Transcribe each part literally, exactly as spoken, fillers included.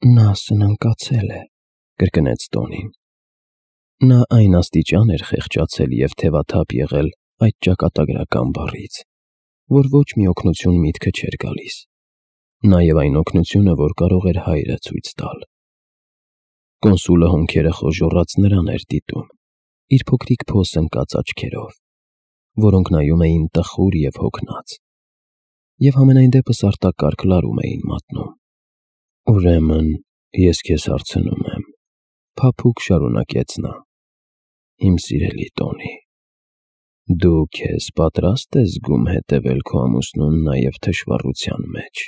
Նա սնանկացել է, կրկնեց Տոնին։ Նա այն աստիճան էր խեղճացել և թևաթափ եղել այդ ճակատագրական բառից, որ ոչ մի օգնություն միտքը չէր գալիս, նաև այն օգնությունը, որ կարող էր հայրը ցույց տալ։ Կոնսուլը հոնքերը խոժոռած նրան էր դիտում, իր փոքրիկ փոս ընկած աչքերով, որոնք նայում էին տխուր և հոգնած, և համենայն դեպս արտակարգ լարում էին մատնում։ «Ուրեմն ես քեզ հարցնում եմ,֊ փափուկ շարունակեց նա,֊ իմ սիրելի Տոնի, դու քեզ պատրա՞ստ ես զգում հետևել քո ամուսնուն նաև թշվառության մեջ»։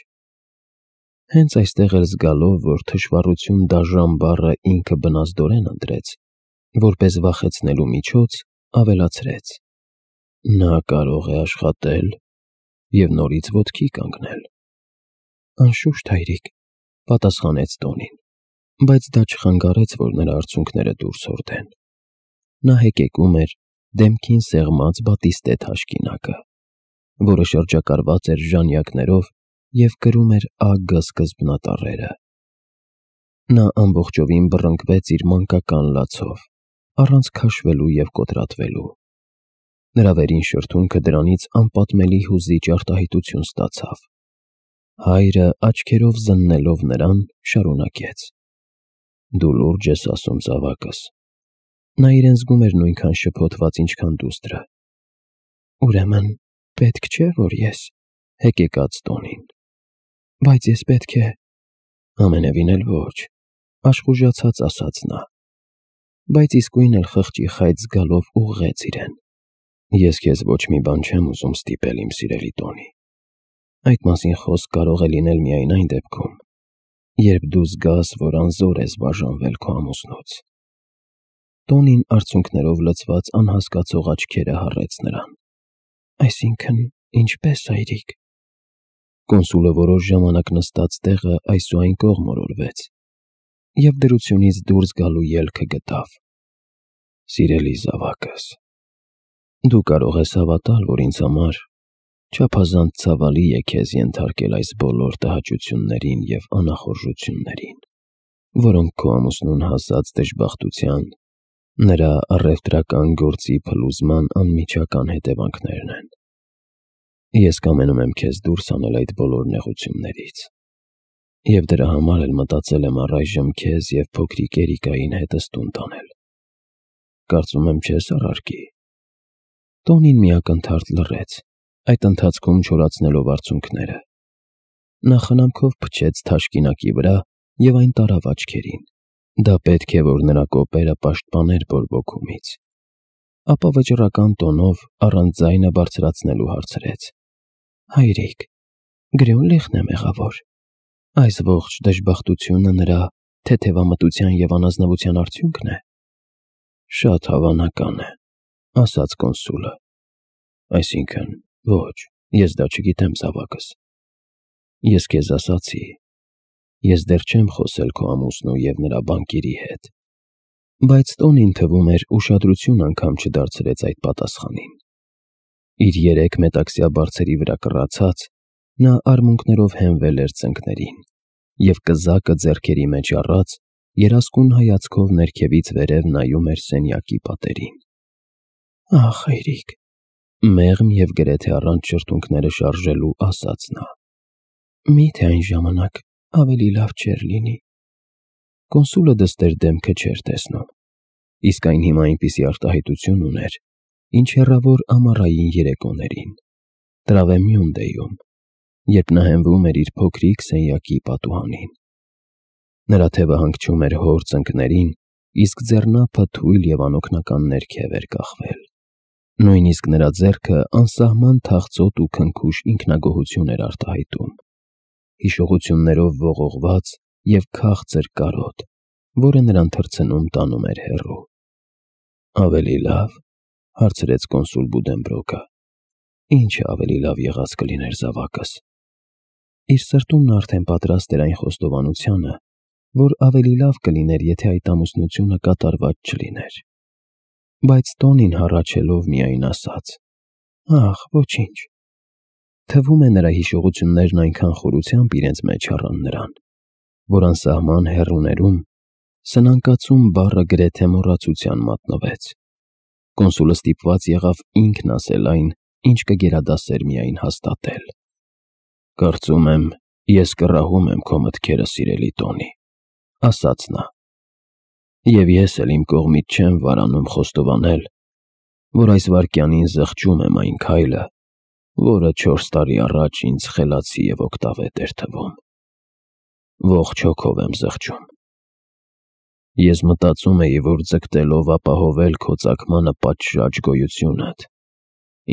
Հենց այստեղ էլ զգալով, որ «թշվառություն» դաժան բառը ինքը բնազդորեն ընտրեց, որպես վախեցնելու միջոց, ավելացրեց. «Նա կարող է աշխատել և նորից ոտքի կանգնել»։ «Անշուշտ, հայրիկ,֊ պատասխանեց Տոնին, բայց դա չխանգարեց, որ նրա արցունքները դուրս հորդեն։ Նա հեկեկում էր դեմքին սեղմած բատիստե թաշկինակը, որը շրջակայված էր ժանյակներով և կրում էր ագ սկզբնատառերը։ Նա ամբողջովին բռնկվեց իր մանկական լացով, առանց քաշվելու և կոտրատվելու։ Նրա վերին շրթունքը դրանից անպատմելի հուզիչ արտահայտություն ստացավ։ Հայրը, աչքերով զննելով նրան, շարունակեց. «Դու լուրջ ես ասում, զավակս»։ Նա իրեն զգում էր նույնքան շփոթված, ինչքան դուստրը։ «Ուրեմն պետք չէ, որ ես…»։ Հեկեկաց Տոնին։ «Բայց ես պետք է…»։ «Ամենևին էլ ոչ,֊ աշխուժացած ասաց նա, բայց իսկույն էլ խղճի խայծ զգալով ուղղեց իրեն։ «Ես քեզ ոչ մի բան չեմ ուզում ստիպել, իմ սիրելի Տոնի։ Այդ մասին խոսք կարող է լինել միայն այն դեպքում, երբ դու զգաս, որ անզոր ես բաժանվել քո ամուսնուց»։ Տոնին արցունքներով լցված անհասկացող աչքերը հառեց նրան։ «Այսինքն, ինչպե՞ս, հայրիկ»։ Կոնսուլը որոշ ժամանակ նստած տեղը այս ու այն կողմ օրորվեց և դրությունից դուրս գալու ելքը գտավ։ «Սիրելի զավակս, դու կարող ես հավատալ, որ ինձ համար չափազանց ցավալի է քեզ ենթարկել այս բոլոր տհաճություններին և անախորժություններին, որոնք քո ամուսնուն հասած դժբախտության, նրա առևտրական գործի փլուզման անմիջական հետևանքներն են։ Ես կամենում եմ քեզ դուրս հանել այդ բոլոր նեղություններից, և դրա համար էլ մտածել եմ առայժմ քեզ և փոքրիկ Էրիկային հետս տուն տանել։ Կարծում եմ չես առարկի»։ Տոնին մի ակնթարթ լռեց, այդ ընթացքում չորացնելով արցունքները։ Նա խնամքով փչեց թաշկինակի վրա և այն տարավ աչքերին։ Դա պետք է, որ նրա կոպերը պաշտպաներ բորբոքումից։ Ապա վճռական տոնով, առանց ձայնը բարձրացնելու հարցրեց. «Հայրիկ, գրյոն-լիխն է մեղավոր։ Այս ողջ դժբախտությունը նրա թեթևամտության և անազնվության արդյունքն է»։ «Շատ հավանական է,֊ ասաց կոնսուլը։ Այսինքն՝ ոչ, ես դա չգիտեմ, զավակս։ Ես քեզ ասացի, ես դեռ չեմ խոսել քո ամուսնու և նրա բանկերի հետ»։ Բայց Տոնին, թվում էր, ուշադրություն անգամ չդարձրեց այդ պատասխանին։ Իր երեք մետաքսյա բարձերի վրա կռացած՝ նա արմունկներով հենվել էր ծնկներին և կզակը ձեռքերի մեջ առած, երասկուն հայացքով ներքևից վերև նայում էր սենյակի պատերին։ «Ախ, հայրիկ,֊ մեղմ և գրեթե առանց շրթունքները շարժելու ասաց նա,֊ մի՞թե այն ժամանակ ավելի լավ չէր լինի»։ Կոնսուլը դստեր դեմքը չէր տեսնում, իսկ այն հիմա այնպիսի արտահայտություն ուներ, ինչ հեռավոր ամառային երեկոներին, Տրավեմյուն֊դեյում, երբ նա հենվում էր իր փոքրիկ սենյակի պատուհանին։ Նրա թևը հանգչում էր հոր ծնկներին, իսկ ձեռնափը թույլ և անօգնական ներքև էր կախվել։ Նույնիսկ նրա ձեռքը անսահման թախծոտ ու քնքուշ ինքնագոհություն էր արտահայտում, հիշողություններով ողողված և քաղցր կարոտ, որը նրան թռցնում տանում էր հեռու։ «Ավելի լավ,֊ հարցրեց կոնսուլ Բուդենբրոկը,֊ ի՞նչը ավելի լավ եղած կլիներ, զավակս»։ Իր սրտում նա արդեն պատրաստ էր այն խոստովանությանը, որ ավելի լավ կլիներ, եթե այդ ամուսնությունը կատարված չլիներ։ Բայց Տոնին հառաչելով միայն ասաց. «Ախ, ոչինչ»։ Թվում է, նրա հիշողություններն այնքան խորությամբ իրենց մեջ առան նրան, որ անսահման հեռուներում սնանկացում բառը գրեթե մոռացության մատնվեց։ Կոնսուլը ստիպված եղավ ինքն ասել այն, ինչ կգերադասեր միայն հաստատել։ «Կարծում եմ, ես կռահում եմ քո մտքերը, սիրելի Տոնի», ասաց նա։ «Եվ ես էլ իմ կողմից չեմ վարանում խոստովանել, որ այս վայրկյանին զղջում եմ այն քայլը, որը չորս տարի առաջ ինձ խելացի և օգտավետ էր թվում։ Ողջ հոգով եմ զղջում։ Ես մտածում էի, որ ձգտելով ապահովել քո ծագմանը պատշաճ գոյությունդ,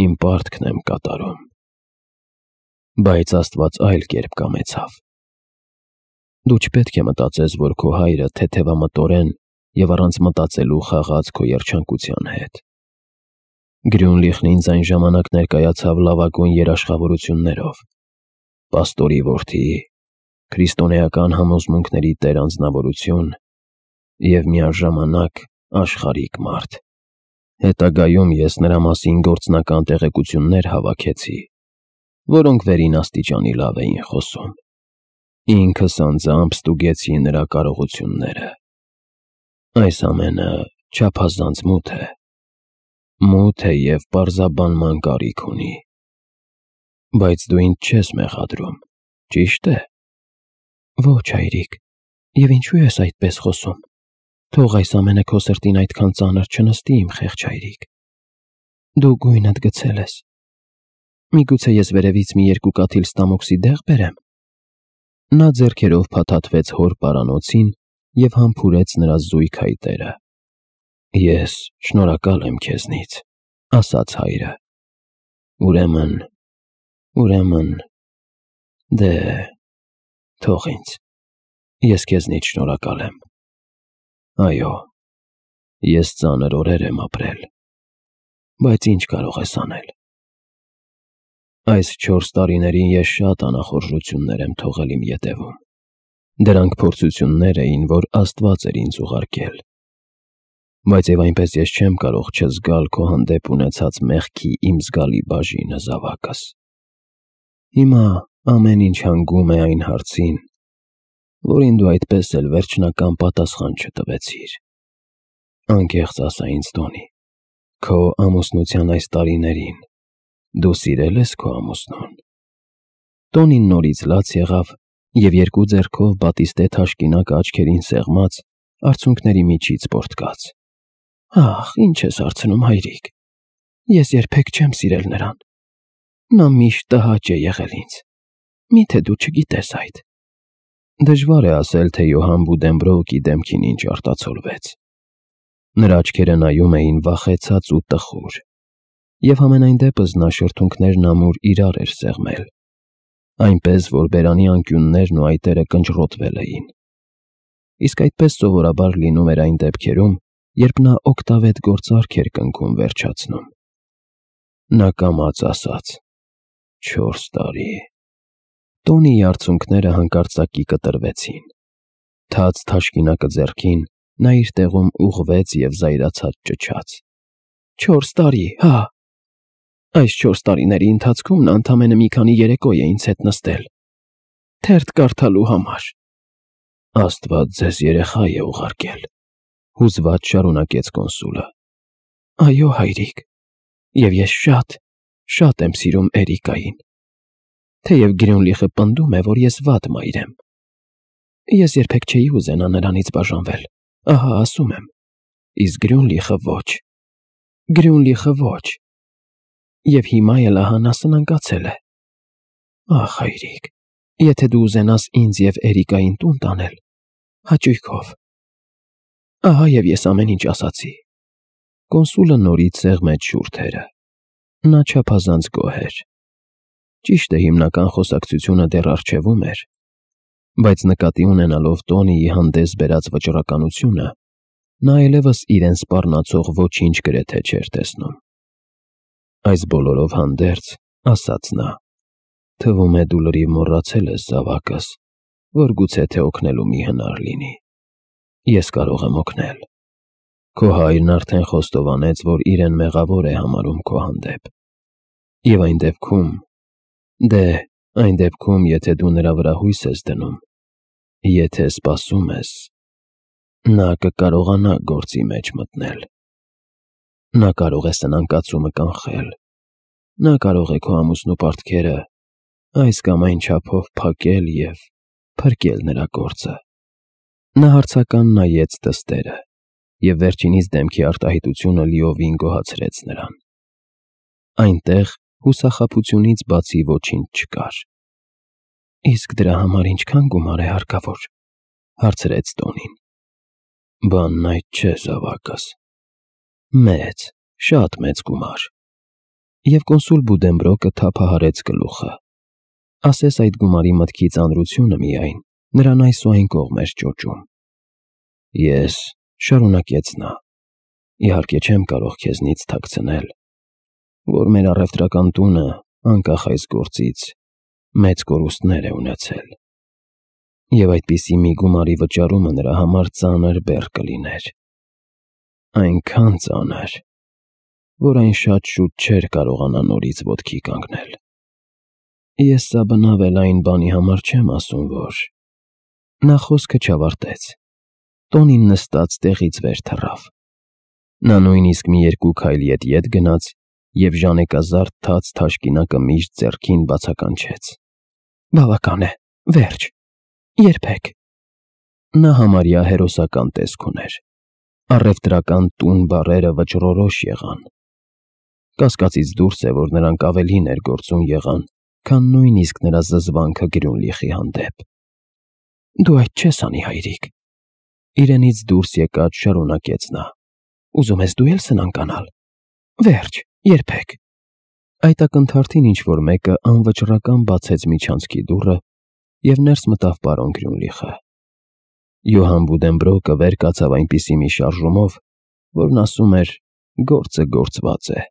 իմ պարտքն եմ կատարում։ Բայց Աստված այլ կերպ կամեցավ։ Դու չպետք է մտածես, որ քո հայրը թեթևամտորեն և առանց մտածելու խաղաց քո երջանկության հետ։ Գրյունլիխն ինձ այն ժամանակ ներկայացավ լավագույն երաշխավորություններով՝ պաստորի որդի, քրիստոնեական համոզմունքների տեր անձնավորություն և միաժամանակ աշխարհիկ մարդ։ Հետագայում ես նրա մասին գործնական տեղեկություններ հավաքեցի, որոնք վերին աստիճանի լավ էին խոսում։ Ինքս անձամբ ստուգեցի նրա կարողությունները։ Այս ամենը չափազանց մութ է։ Մութ է և պարզաբանման կարիք ունի։ Բայց դու ինձ չես մեղադրում, ճի՞շտ է։ Ոչ, հայրիկ, և ինչու ես այդպես խոսում։ Թող այս ամենը քո սրտին այդքան ծանր չնստի, իմ խեղճ հայրիկ։ Դու գույնդ գցել ես։ Միգուցե ես վերևից մի երկու կաթիլ ստամոքսի դեղ բերեմ։ Նա ձեռքերով փաթաթվեց հոր պարանոցին և համբուրեց նրա զույգ փայտերը։ Ես շնորհակալ եմ քեզնից, ասաց հայրը։ Ուրեմն, ուրեմն, դե, թող ինձ, ես քեզնից շնորհակալ եմ։ Այո, ես ծանր օրեր եմ ապրել, բայց ինչ կարող ես անել։ Այս չորս տարիներին ես շատ անախորժություններ եմ թողել իմ ետևում։ Դրանք փորձություններ էին, որ Աստված էր ինձ ուղարկել։ Բայց և այնպես ես չեմ կարող չզգալ քո հանդեպ ունեցած մեղքի իմ զգալի բաժինը, զավակս։ Հիմա ամեն ինչ հանգում է այն հարցին, որին դու այդպես էլ վերջնական պատասխան չտվեցիր։ Անկեղծ ասա ինձ, Տոնի, քո ամուսնության այս տարիներին դու սիրել ես քո ամուսնուն։ Տոնին նորից լաց եղավ և երկու ձեռքով բատիստե թաշկինակը աչքերին սեղմած, արցունքների միջից պոռթկաց։ Ախ, ինչ ես հարցնում, հայրիկ, ես երբեք չեմ սիրել նրան։ Նա միշտ տհաճ է եղել ինձ։ Միթե դու չգիտես այդ։ Դժվար է ասել, թե Յոհան Բուդենբրոուկի դեմքին ինչ արտացոլվեց։ Նրա աչքերը նայում էին վախեցած ու տխուր, և համենայն դեպս նա շրթունքներն ամուր իրար էր սեղմել, այնպես, որ բերանի անկյուններն ու այտերը կնճռոտվել էին։ Իսկ այդպես սովորաբար լինում էր այն դեպքերում, երբ նա օգտավետ գործարք էր կնքում վերջացնում։ Նա կամաց ասաց. չորս տարի։ Տոնիի արցունքները հանկարծակի կտրվեցին։ Թաց թաշկինակը ձեռքին, նա իր տեղում ուղղվեց և զայրացած ճչաց. Չորս տարի, հա։ Այս չորս տարիների ընթացքում նա ընդամենը մի քանի երեկո է ինձ հետ նստել, թերթ կարդալու համար։ Աստված ձեզ երեխա է ուղարկել, հուզված շարունակեց կոնսուլը։ Այո, հայրիկ, և ես շատ, շատ եմ սիրում Էրիկային, թեև Գրյունլիխը պնդում է, որ ես վատ մայր եմ։ Ես երբեք չէի ուզենա նրանից բաժանվել, ահա ասում եմ, իսկ Գրյունլիխը ոչ, Գրյունլիխը ոչ, և հիմա էլ ահա նա սնանկացել է։ Ախ, հայրիկ, եթե դու ուզենաս ինձ և Էրիկային տուն տանել, հաճույքով։ Ահա և ես ամեն ինչ ասացի։ Կոնսուլը նորից սեղմեց շուրթերը։ Նա չափազանց գոհ էր։ Ճիշտ է, հիմնական խոսակցությունը դեռ առջևում էր, բայց նկատի ունենալով Տոնիի հանդես բերած վճռականությունը, նա այլևս իրեն սպառնացող ոչինչ գրեթե չէր տեսնում։ Այս բոլորով հանդերձ, ասաց նա, թվում է դու լրիվ մոռացել ես, զավակս, որ գուցե թե օգնելու մի հնար լինի։ Ես կարող եմ օգնել։ Քո հայրն արդեն խոստովանեց, որ իրեն մեղավոր է համարում քո հանդեպ։ Եվ այն դեպքում, դե, այն դեպքում, եթե դու նրա վրա հույս ես դնում, Եթե սպասում ես, նա կկարողանա գործի մեջ մտնել։ Նա կարող է սնանկացումը կանխել, նա կարող է քո ամուսնու պարտքերը այս կամ այն չափով փակել և փրկել նրա գործը։ Նա հարցական նայեց դստերը, և վերջինիս դեմքի արտահայտությունը լիովին գոհացրեց նրան։ Այնտեղ հուսախաբությունից բացի ոչինչ չկար։ Իսկ դրա համար ինչքա՞ն գումար է հարկավոր, հարցրեց Տոնին։ Բանն այդ չէ, զավակս։ Մեծ, շատ մեծ գումար։ Եվ կոնսուլ Բուդենբրոկը թափահարեց գլուխը։ Ասես այդ գումարի մտքի ծանրությունը միայն նրան այսուայն կողմ էր ճոճում։ Ես, շարունակեց նա, իհարկե չեմ կարող քեզնից թաքցնել, որ մեր առևտրական տունը, անկախ այս գործից, մեծ կորուստներ է ունեցել, և այդպիսի մի գումարի վճարումը նրա համար ծանր բեռ կլիներ, այնքան ծանր, որ այն շատ շուտ չէր կարողանա նորից ոտքի կանգնել։ Ես սա բնավ էլ այն բանի համար չեմ ասում, որ… Նա խոսքը չավարտեց։ Տոնին նստած տեղից վեր թռավ։ Նա նույնիսկ մի երկու քայլ ետ-ետ գնաց և ժանեկազարդ թաց թաշկինակը միշտ ձեռքին բացականչեց։ Բավական է, վերջ, երբեք։ Նա համարյա հերոսական տեսք ուներ։ Առևտրական տուն բառերը վճռորոշ եղան։ Կասկածից դուրս է, որ նրանք ավելի ներգործուն եղան, քան նույնիսկ նրա զզվանքը Գրյունլիխի հանդեպ։ Դու այդ չես անի, հայրիկ, իրենից դուրս եկած շարունակեց նա։ Ուզում ես դու էլ սնանկանալ։ Վերջ, երբեք։ Այդ ակնթարթին ինչ-որ մեկը անվճռական բացեց միջանցքի դուռը, և ներս մտավ պարոն Գրյունլիխը։ Յոհան Բուդենբրոկը վեր կացավ այնպիսի մի շարժումով, որն ասում էր. «Գործը գործված է»։